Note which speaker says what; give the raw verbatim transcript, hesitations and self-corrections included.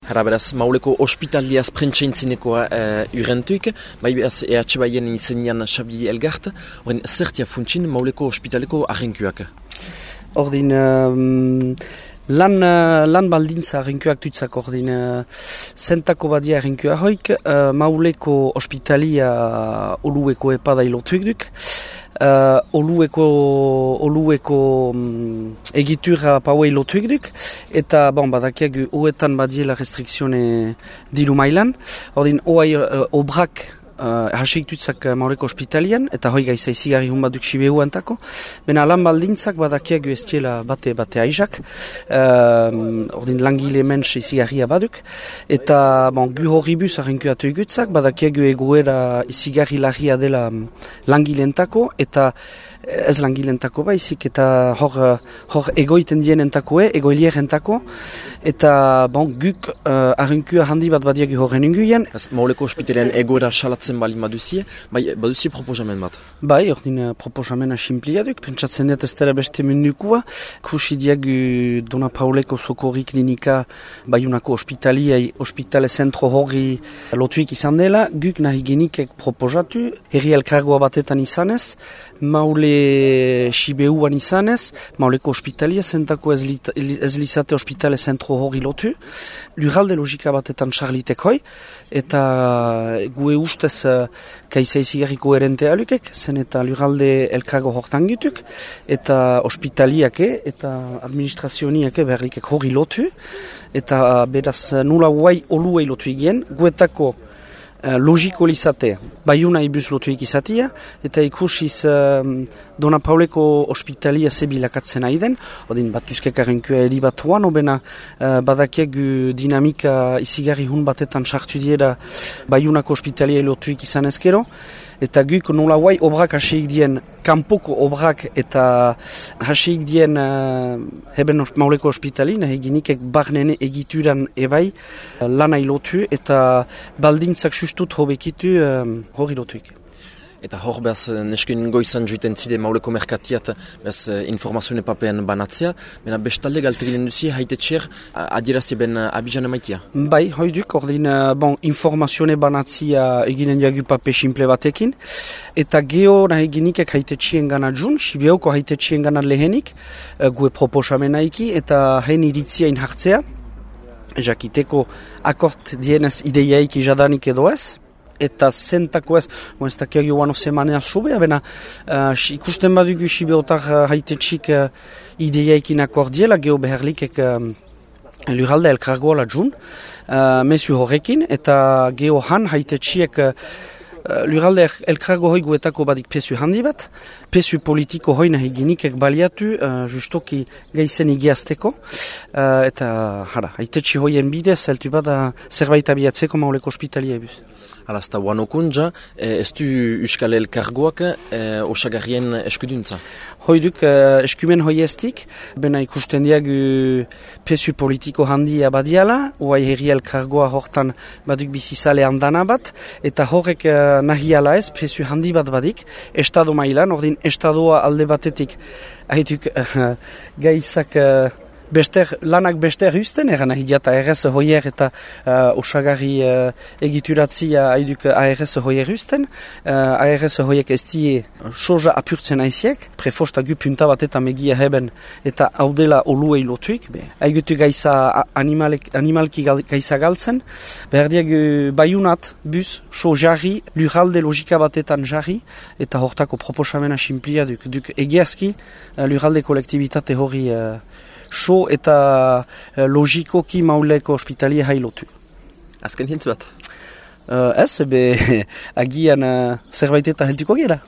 Speaker 1: Hara beraz, Mauleko ospitaliaz prentsaintzinekoa uh, urentuik, bai beraz, E H baien izenian Xabi Elgart, horren zertia funtsin Mauleko ospitaleko arrenkuak?
Speaker 2: Ordin, um, lan, uh, lan baldintza arrenkuak tuitzak, ordin, uh, zentako badia arrenkua hoik, uh, Mauleko ospitalia olueko epada ilotuik duk, Uh, olueko, olueko um, egitura pauei lotuik duk, eta bon, badakiak uetan badiela restrikzione diru mailan, ordin oai uh, obrak uh, hasik dutzak uh, Mauleko ospitalian, eta hoi gaiza izigarri hun baduk sibeu antako, bena lan baldintzak badakiak ez diela bate bate aizak, uh, ordin langile mens izigarria baduk, eta bon, gu horribus arrenkuatu igutzak, badakiak egoera izigarri larria dela um, langileentako, eta ez langilentako baizik, eta hor, hor egoiten dienentakoe, egoilierentako, eta bon, guk uh, arrenkua handi bat badiak horren inguien.
Speaker 1: Mauleko ospitalean egoera salatzen bali baduzie, bai, baduzie proposamen bat?
Speaker 2: Bai, ordin proposamena simplia duk, pentsatzen dut ez dela beste mundukua, kusi diagu Dona Pauleko Sokorri Klinika Baiunako ospitalia, ospitale zentro horri lotuik izan dela, guk nahi genikek proposatu, herri elkargoa batetan izanez, Maule Sibeuan izanez, Mauleko ospitalia zentako ez, li, ez lizate ospitale zentro hori lotu, lurralde logika batetan charlitek hoi, eta gue ustez uh, kaisa izigarriko erente alukek, zen eta lurralde elkargo hortan gituk, eta ospitaliake eta administrazioniake berlikek hori lotu, eta beraz nula guai oluei lotu egien, guetako Uh, logiko lizate, baiuna ibuz lotuik izatia, eta ikusiz uh, Dona Pauleko ospitalia zebilakatzen aiden, odin bat tuzkek arrenkua eri bat hoan, obena uh, badakiak dinamika izigarri hun batetan sartu diera baiunako ospitalia lotuik izan ezkero, eta guk nola guai obrak haseik dien, kanpoko obrak eta haseik dien uh, heben Mauleko ospitali, nahi ginikek barnene egituran ebai uh, lanai lotu, eta baldintzak sustut hobekitu uh, hori lotuik.
Speaker 1: Eta hor behaz nesken goizan juiten zide Mauleko merkatiat behaz informazioen papean banatzea, bena bestalde galterilen duzi haitetxer adierazte ben abijan emaitia?
Speaker 2: Bai, hoi duk, ordin bon, informazioen banatzia eginen diagu pape simple batekin, eta geho nahi ginikek haitetxien gana jun, Sibieuko haitetxien gana lehenik, gue proposamenaiki, eta hein iritzia inhartzea, jakiteko akort dienez ideiaik jadanik edo ez, eta zentako ez, ez dakiak joan ozemanea zubea, bena uh, ikusten badugu Sibeotar uh, haitetxik uh, ideiaikin akordiela, geho beherlikek uh, lurralde elkargoa la jun, uh, mesu horrekin, eta geho han haitetxiek uh, lurralde elkargo hoi guetako badik pesu handi bat, pesu politiko hoi nahi ginikek baliatu, uh, justoki gaizen igiazteko, uh, eta hara, haitetxi hoien bidez, zeltu bada zerbait abiatzeko Mauleko ospitalia ebuz.
Speaker 1: Hala, ez da guanokuntza, ez du Euskal Elkargoak e, osagarrien eskuduntza?
Speaker 2: Hoiduk uh, eskumen hoi estik, bena ikusten diagu pesu politiko handia badiala, oai herri elkargoa hortan baduk bizizale handana bat, eta horrek uh, nahiala ez, pesu handi bat badik, estado mailan, ordin estadoa alde batetik, haiduk uh, gaizak uh, Bester, lanak bester usten, eran nahi diata A R S hoier eta uh, osagarri uh, egituratzia haiduk A R S hoier usten. Uh, A R S hoiek ez die soja apurtzen aiziek, prefosta gu punta bat eta megia heben eta haudela oluei lotuik. Haigutu gaiza animalek, animalki gal, gaiza galtzen, behar diag baiunat, bus, so jarri, lurralde logika batetan jarri, eta hortako proposamena simplia duk, duk egiazki uh, lurralde kolektibitate hori uh, so eta uh, logikoki Mauleko ospitalia hailotu.
Speaker 1: Azken hintz bat?
Speaker 2: Uh, ez, ebe agian uh, zerbait eta heltuko gira.